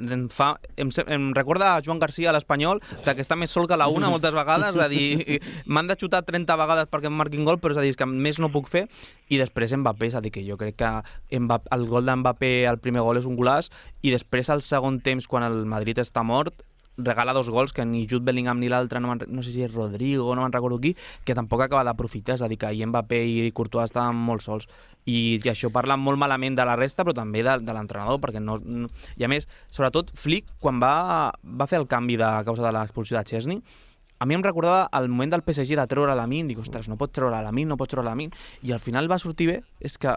em recorda a Joan García, l'Espanyol, que està més sol que la una moltes vegades, és a dir, m'han de xutar 30 vegades perquè em marquin gol, però és a dir, que més no puc fer. I després Mbappé, és a dir, que jo crec que el gol d'Mbappé, el primer gol és un golaç, i després al segon temps, quan el Madrid està mort, regala 2 gols que ni Jude Bellingham ni l'altre, no sé si és Rodrigo, no me'n recordo qui, que tampoc acaba d'aprofitar, és a dir, que Mbappé i Courtois estaven molt sols. I això parla molt malament de la resta, però també de l'entrenador, perquè no... I a més, sobretot Flick, quan va fer el canvi a causa de l'expulsió de Chesney, a mi em recordava el moment del PSG de treure Lamine, dic, ostres, no pots treure Lamine, i al final va sortir bé. És que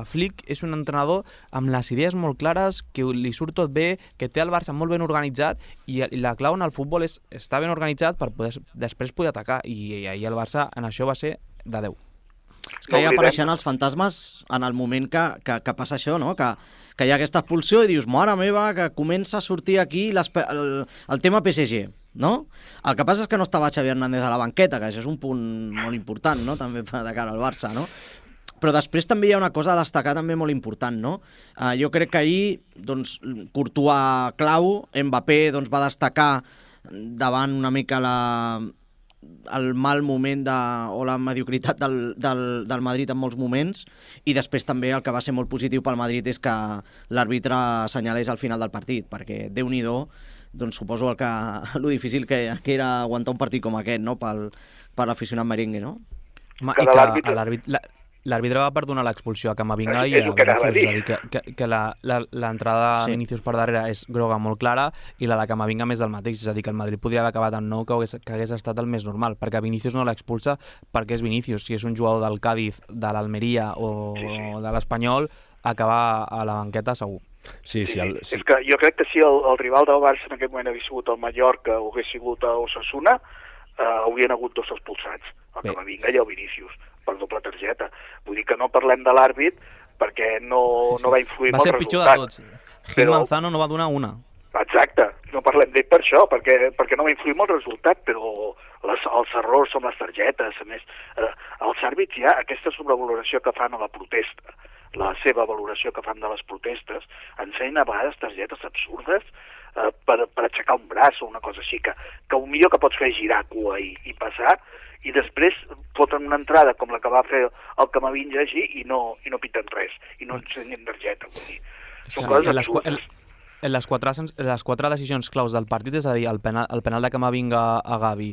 Flick és un entrenador amb les idees molt clares, que li surt tot bé, que té el Barça molt ben organitzat, i la clau en el futbol és estar ben organitzat per després poder atacar, i ahir el Barça en això va ser de 10. És que ja apareixen els fantasmes en el moment que passa això, no? Que hi ha aquesta expulsió i dius, mare meva, que comença a sortir aquí el tema PSG, no? El que passa és que no estava Xavi Hernández a la banqueta, que això és un punt molt important, no? També de cara al Barça, no? Però després també hi ha una cosa a destacar també molt important, no? Jo crec que ahir, doncs, Courtois clau, Mbappé doncs, va destacar davant una mica el mal moment o la mediocritat del Madrid en molts moments, i després també el que va ser molt positiu pel Madrid és que l'àrbitre assenyalés al final del partit, perquè Déu-n'hi-do, doncs suposo lo difícil que era aguantar un partit com aquest, no?, per l'aficionat merengue, no? I que l'àrbitre va perdonar l'expulsió a Camavinga i a Vinícius, és a dir, que l'entrada de Vinícius per darrere és groga molt clara i la de Camavinga més del mateix, és a dir, que el Madrid podria haver acabat en 9, que hagués estat el més normal, perquè Vinícius no l'expulsa perquè és Vinícius. Si és un jugador del Cádiz, de l'Almeria o de l'Espanyol, acabar a la banqueta segur. Sí. És que jo crec que si el rival del Barça en aquest moment hagués sigut el Mallorca o hagués sigut el Osasuna, haurien hagut 2 expulsats, el Camavinga i el Vinícius, per doble targeta. Vull dir que no parlem de l'àrbit perquè no va influir molt el resultat. Va ser pitjor de tots. Gil Manzano no va donar una. Exacte, no parlem d'ell per això, perquè no va influir molt el resultat, però els errors són les targetes. A més, els àrbits hi ha aquesta sobrevaloració que fan a la protesta, la seva valoració que fan de les protestes, ensenyen a vegades targetes absurdes per aixecar un braç o una cosa així, que el millor que pots fer és girar cua i passar, i després foten una entrada com la que va fer el Camavinga així i no piten res, i no ensenyen targeta. Vull dir, són coses absurdes. Les 4 decisions claus del partit, és a dir, el penal de Camavinga a Gavi,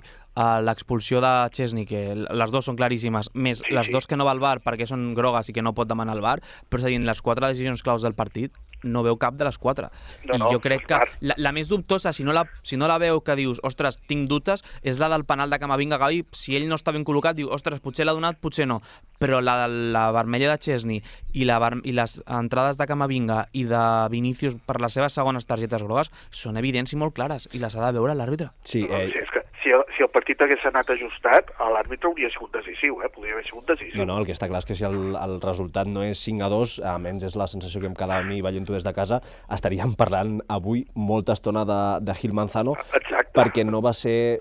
l'expulsió de Chesney, que les 2 són claríssimes, més les 2 que no va al VAR perquè són grogues i que no pot demanar el VAR, però és a dir, les 4 decisions claus del partit no veu cap de les 4. I jo crec que la més dubtosa, si no la veu que dius, ostres, tinc dubtes, és la del penal de Camavinga a Gavi. Si ell no està ben col·locat, diu, ostres, potser l'ha donat, potser no. Però la vermella de Chesney i les entrades de Camavinga i de Vinícius per les seves segones targetes grogues són evidents i molt clares, i les ha de veure l'àrbitre. Sí, és que si el partit hagués anat ajustat, l'àrbitre hauria sigut decisiu, podria haver sigut decisiu. No, el que està clar és que si el resultat no és 5-2, almenys és la sensació que em quedava a mi veient-ho des de casa, estaríem parlant avui molta estona de Gil Manzano. Exacte. Perquè no va ser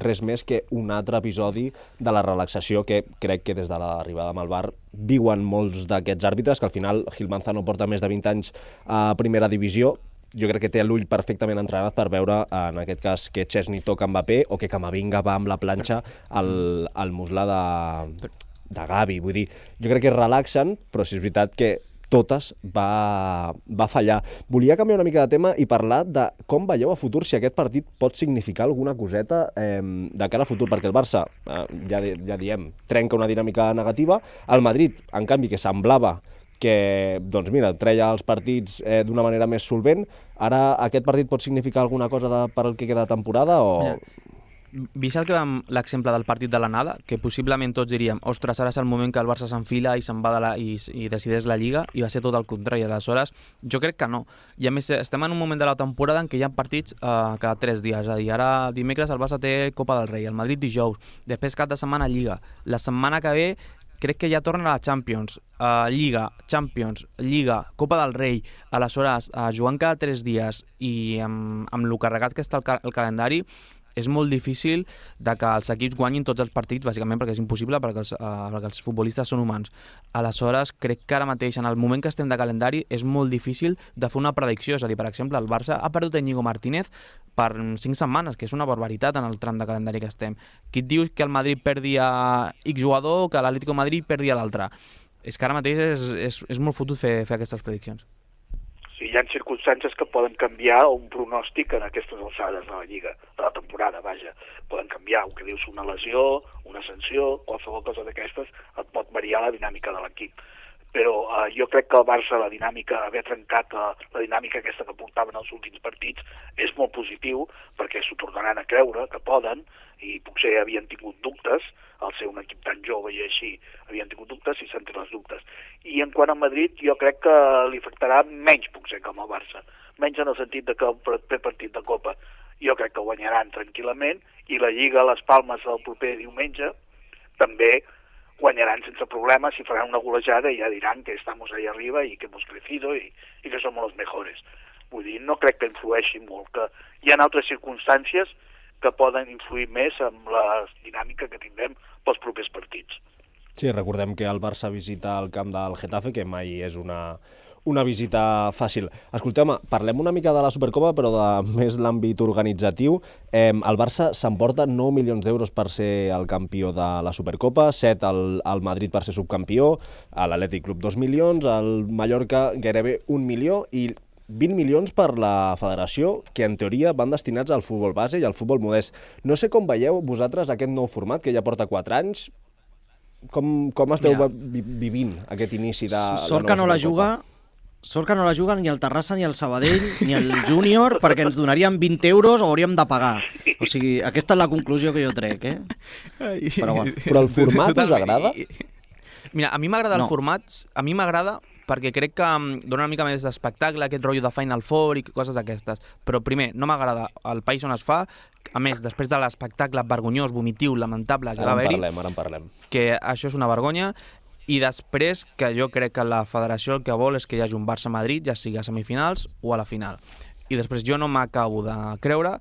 res més que un altre episodi de la relaxació que crec que des de l'arribada amb el VAR viuen molts d'aquests àrbitres, que al final Gil Manzano porta més de 20 anys a primera divisió. Jo crec que té l'ull perfectament entrenat per veure, en aquest cas, que Chesney toca Mbappé o que Camavinga va amb la planxa al muscle de Gavi. Vull dir, jo crec que es relaxen, però sí és veritat que totes va fallar. Volia canviar una mica de tema i parlar de com veieu a futur, si aquest partit pot significar alguna coseta de cara a futur, perquè el Barça, ja diem, trenca una dinàmica negativa. El Madrid, en canvi, que semblava que, doncs mira, treia els partits d'una manera més solvent. Ara aquest partit pot significar alguna cosa per al que queda de temporada o... Vist l'exemple del partit de l'anada, que possiblement tots diríem, ostres, ara és el moment que el Barça s'enfila i se'n va i decideix la Lliga, i va ser tot el contrari. Aleshores, jo crec que no. I a més, estem en un moment de la temporada en què hi ha partits cada 3 dies. És a dir, ara dimecres el Barça té Copa del Rei, el Madrid dijous, després cap de setmana Lliga. La setmana que ve crec que ja torna a la Champions, Lliga, Champions, Lliga, Copa del Rei. Aleshores, jugant cada 3 dies i amb lo carregat que està el calendari, és molt difícil que els equips guanyin tots els partits, bàsicament perquè és impossible, perquè els futbolistes són humans. Aleshores, crec que ara mateix, en el moment que estem de calendari, és molt difícil de fer una predicció. És a dir, per exemple, el Barça ha perdut Íñigo Martínez per 5 setmanes, que és una barbaritat en el tram de calendari que estem. Qui et diu que el Madrid perdi a X jugador o que l'Atlético de Madrid perdi a l'altre? És que ara mateix és molt fotut fer aquestes prediccions. Sí, hi ha circumstàncies que poden canviar un pronòstic en aquestes alçades de la Lliga, de la temporada, vaja. Poden canviar, el que dius, una lesió, una sanció, qualsevol cosa d'aquestes et pot variar la dinàmica de l'equip. Però jo crec que el Barça, la dinàmica, haver trencat la dinàmica aquesta que portaven els últims partits, és molt positiu, perquè s'ho tornaran a creure, que poden, i potser havien tingut dubtes, al ser un equip tan jove i així havien tingut dubtes i s'han tret els dubtes. I en quant a Madrid, jo crec que li afectarà menys potser que amb el Barça, menys en el sentit de que el proper partit de Copa jo crec que guanyaran tranquil·lament, i la Lliga a les Palmes del proper diumenge també guanyaran sense problemes i faran una golejada i ja diran que estamos ahí arriba i que hemos crecido i que somos los mejores. Vull dir, no crec que influeixi molt, que hi ha altres circumstàncies que poden influir més en la dinàmica que tindrem pels propers partits. Sí, recordem que el Barça visita el camp del Getafe, que mai és una visita fàcil. Escolteu-me, parlem una mica de la Supercopa, però de més l'àmbit organitzatiu. El Barça s'emporta 9 milions d'euros per ser el campió de la Supercopa, 7 al Madrid per ser subcampió, a l'Atlètic Club 2 milions, al Mallorca gairebé 1 milió i 20 milions per la federació, que en teoria van destinats al futbol base i al futbol modest. No sé com veieu vosaltres aquest nou format, que ja porta 4 anys. Com esteu vivint aquest inici de la nova Supercopa? Sort que no la juga ni el Terrassa, ni el Sabadell, ni el Júnior, perquè ens donarien 20 euros o hauríem de pagar. O sigui, aquesta és la conclusió que jo trec, Però el format us agrada? Mira, a mi m'agrada el format, perquè crec que dona una mica més d'espectacle, aquest rotllo de Final Four i coses d'aquestes. Però primer, no m'agrada el país on es fa, a més, després de l'espectacle vergonyós, vomitiu, lamentable que va haver-hi, ara en parlem, que això és una vergonya, i després que jo crec que la federació el que vol és que hi hagi un Barça-Madrid, ja sigui a semifinals o a la final. I després jo no m'acabo de creure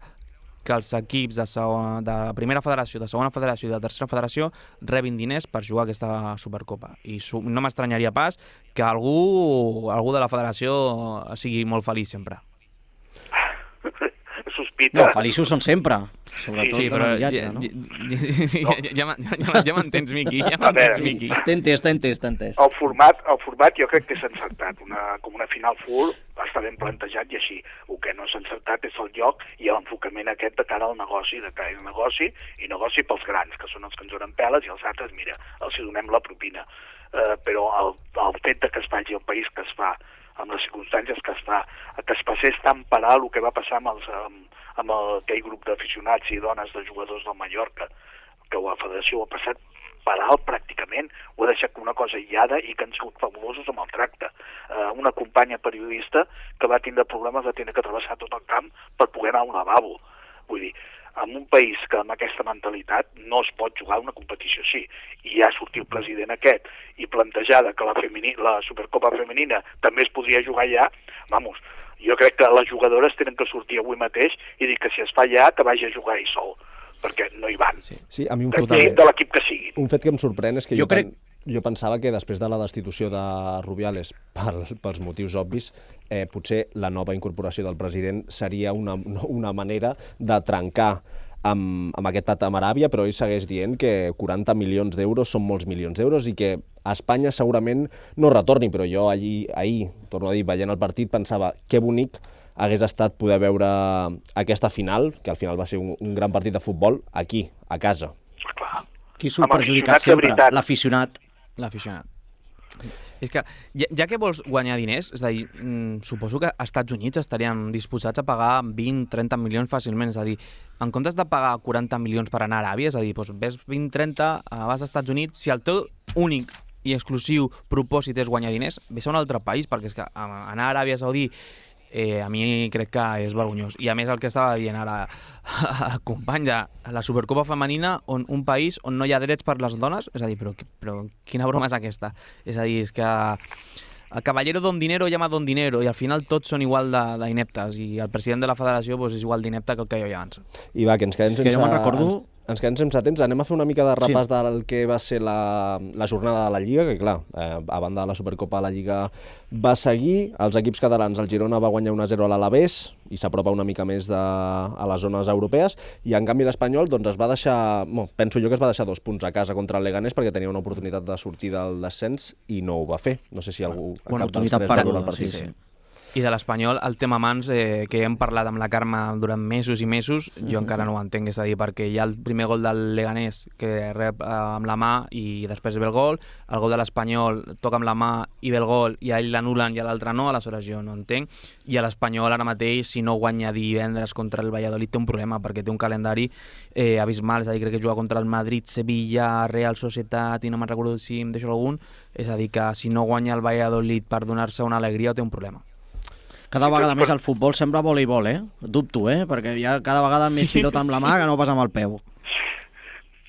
que els equips de primera federació, de segona federació i de tercera federació rebin diners per jugar aquesta Supercopa. I no m'estranyaria pas que algú de la federació sigui molt feliç sempre. Sospita. No, feliços són sempre. Sobretot sí, però ja m'entens, Miqui, T'he entès. El format jo crec que és encertat, com una Final Four està ben plantejat i així. El que no és encertat és el lloc i l'enfocament aquest de cara al negoci, i negoci pels grans, que són els que ens donen peles, i els altres, mira, els donem la propina. Però el fet que es faci el país que es fa, amb les circumstàncies que es fa, que es passés tan parar el que va passar amb aquell grup d'aficionats i dones de jugadors del Mallorca, que la federació ho ha passat per alt pràcticament, ho ha deixat com una cosa aïllada i que han sigut fabulosos amb el tracte. Una companya periodista que va tindre problemes de tenir que travessar tot el camp per poder anar a un lavabo. Vull dir, en un país que amb aquesta mentalitat no es pot jugar una competició així, i ja sortir el president aquest i plantejar que la Supercopa femenina també es podria jugar allà, vamos, jo crec que les jugadores tenen que sortir avui mateix i dir que si es fa allà, que vagi a jugar ell sol, perquè no hi van. Sí, a mi de l'equip que sigui. Un fet que em sorprèn és que jo pensava que després de la destitució de Rubiales pels motius obvis, potser la nova incorporació del president seria una manera de trencar amb aquest pat amb Aràbia, però ell segueix dient que 40 milions d'euros són molts milions d'euros i que a Espanya segurament no retorni, però jo ahir, torno a dir, veient el partit, pensava que bonic hagués estat poder veure aquesta final, que al final va ser un gran partit de futbol, aquí, a casa. Qui surt perjudicat sempre? L'aficionat. L'aficionat. És que, ja que vols guanyar diners, és a dir, suposo que als Estats Units estarien disposats a pagar 20-30 milions fàcilment, és a dir, en comptes de pagar 40 milions per anar a Aràbia, és a dir, doncs ves 20-30, vas als Estats Units, si el teu únic i exclusiu propòsit és guanyar diners, ves a un altre país, perquè és que anar a Aràbia Saudí a mi crec que és vergonyós. I a més el que estava dient ara el company de la Supercopa femenina, un país on no hi ha drets per les dones, és a dir, però quina broma és aquesta? És a dir, és que el caballero don dinero llama don dinero i al final tots són igual d'ineptes i el president de la federació és igual d'inepte que el que hi havia abans. I va, que ens quedem sense... Que jo me'n recordo... Ens quedem sense temps. Anem a fer una mica de repàs del que va ser la jornada de la Lliga, que clar, a banda de la Supercopa, la Lliga va seguir. Els equips catalans, el Girona va guanyar 1-0 a l'Alavés i s'apropa una mica més a les zones europees, i en canvi l'Espanyol es va deixar, penso jo que es va deixar 2 punts a casa contra el Leganés perquè tenia una oportunitat de sortir del descens i no ho va fer. No sé si algú... Bona oportunitat perduda, sí. I de l'Espanyol, el tema mans, que hem parlat amb la Carme durant mesos i mesos, jo encara no ho entenc, és a dir, perquè hi ha el primer gol del Leganés que rep amb la mà i després ve el gol de l'Espanyol toca amb la mà i ve el gol i a ell l'anulen i a l'altre no, aleshores jo no entenc, i a l'Espanyol ara mateix, si no guanya divendres contra el Valladolid té un problema, perquè té un calendari abismal, és a dir, crec que juga contra el Madrid, Sevilla, Real Societat i no me'n recordo si em deixo algun, és a dir, que si no guanya el Valladolid per donar-se una alegria té un problema. Cada vegada més el futbol sembla voleibol, Dubto, perquè hi ha cada vegada més pilota amb la mà que no pas amb el peu.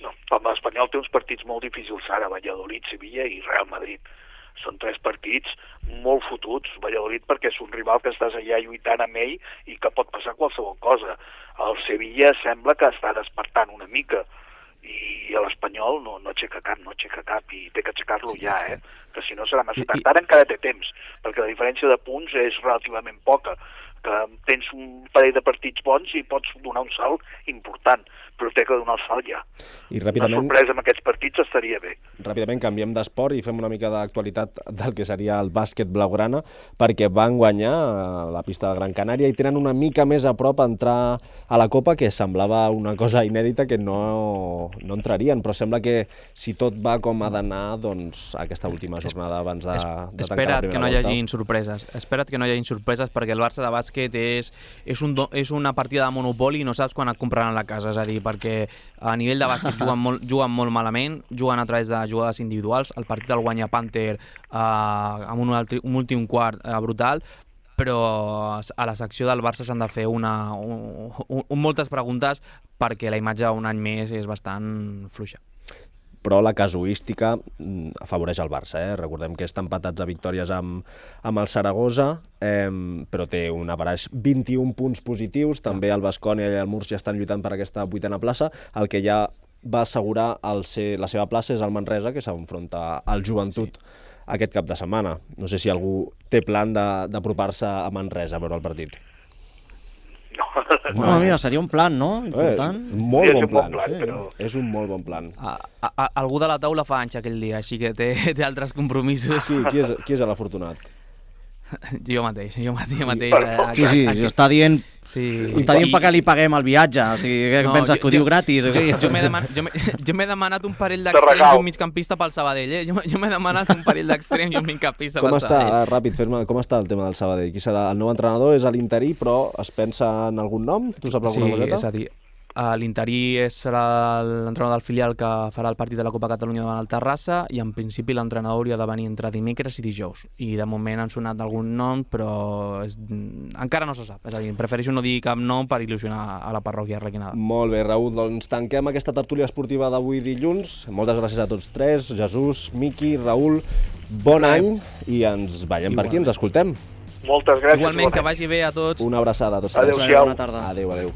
No, l'Espanyol té uns partits molt difícils ara, Valladolid, Sevilla i Real Madrid. Són 3 partits molt fotuts. Valladolid perquè és un rival que estàs allà lluitant amb ell i que pot passar qualsevol cosa. El Sevilla sembla que està despertant una mica i l'Espanyol no aixeca cap i té que aixecar-lo ja, que si no serà massa tard. Ara encara té temps, perquè la diferència de punts és relativament poca, que tens un parell de partits bons i pots donar un salt important, però té que donar el salt ja. I ràpidament, una sorpresa amb aquests partits estaria bé. Ràpidament canviem d'esport i fem una mica d'actualitat del que seria el bàsquet blaugrana, perquè van guanyar a la pista de Gran Canària i tenen una mica més a prop a entrar a la Copa, que semblava una cosa inèdita que no entrarien, però sembla que si tot va com ha d'anar, doncs aquesta última jornada abans de tancar la primera volta. Espera't que no hi hagin sorpreses. Espera't que no hi hagin sorpreses, perquè el Barça de bàsquet és una partida de Monopoli i no saps quan et compraran la casa, és a dir, perquè a nivell de bàsquet juguen molt malament, juguen a través de jugades individuals, el partit el guanya Panther amb un últim quart brutal, però a la secció del Barça s'han de fer moltes preguntes perquè la imatge un any més és bastant fluixa. Però la casuística afavoreix el Barça. Recordem que està empatats a victòries amb el Saragossa, però té un average 21 punts positius. També el Baskonia i el Múrcia estan lluitant per aquesta 8a plaça. El que ja va assegurar la seva plaça és el Manresa, que s'enfronta al Joventut aquest cap de setmana. No sé si algú té plan d'apropar-se a Manresa a veure el partit. No, mira, seria un plan, no? Important. Molt bon plan, però... És un molt bon plan. Algú de la taula fa anys aquell dia, així que té altres compromisos. Sí, qui és l'afortunat? Jo mateix. Sí, està dient perquè li paguem el viatge, o sigui, què penses, que ho diu gratis? Jo m'he demanat un parell d'extrems i un migcampista pel Sabadell, Jo m'he demanat un parell d'extrems i un migcampista pel Sabadell. Com està, ràpid, com està el tema del Sabadell? Qui serà el nou entrenador? És l'interí, però es pensa en algun nom? Tu saps alguna coseta? Sí, és a dir, l'interí serà l'entrenador del filial que farà el partit de la Copa Catalunya davant el Terrassa i en principi l'entrenador hauria de venir entre dimecres i dijous i de moment han sonat algun nom però encara no se sap, és a dir, prefereixo no dir cap nom per il·lusionar a la parròquia arlequinada. Molt bé, Raül, doncs tanquem aquesta tertúlia esportiva d'avui dilluns. Moltes gràcies a tots tres, Jesús, Miqui, Raül, bon any i ens veiem per aquí, ens escoltem. Moltes gràcies. Igualment, que vagi bé a tots. Una abraçada a tots. Adéu-siau. Bona tarda. Adéu.